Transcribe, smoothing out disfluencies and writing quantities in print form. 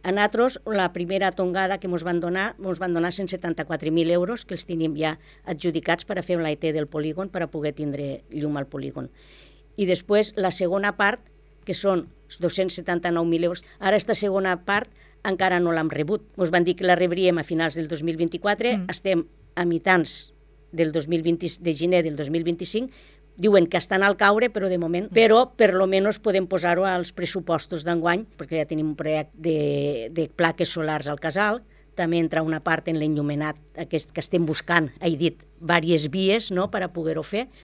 A nosaltres, la primera tongada que ens van donar 174.000 euros, que els tenim ja adjudicats per a fer l'AET del polígon, per a poder tindre llum al polígon. I després, la segona part, que són 279.000 euros. Ara, aquesta segona part encara no l'hem rebut. Ens van dir que la rebríem a finals del 2024, estem a mitjans de gener del 2025, diuen que estan al caure, però de moment, però per lo menos podem posar-ho als pressupostos d'enguany, perquè ja tenim un projecte de plaques solars al casal, també entra una part en l'enllumenat aquest que estem buscant, he dit, diverses vies per a poder-ho fer.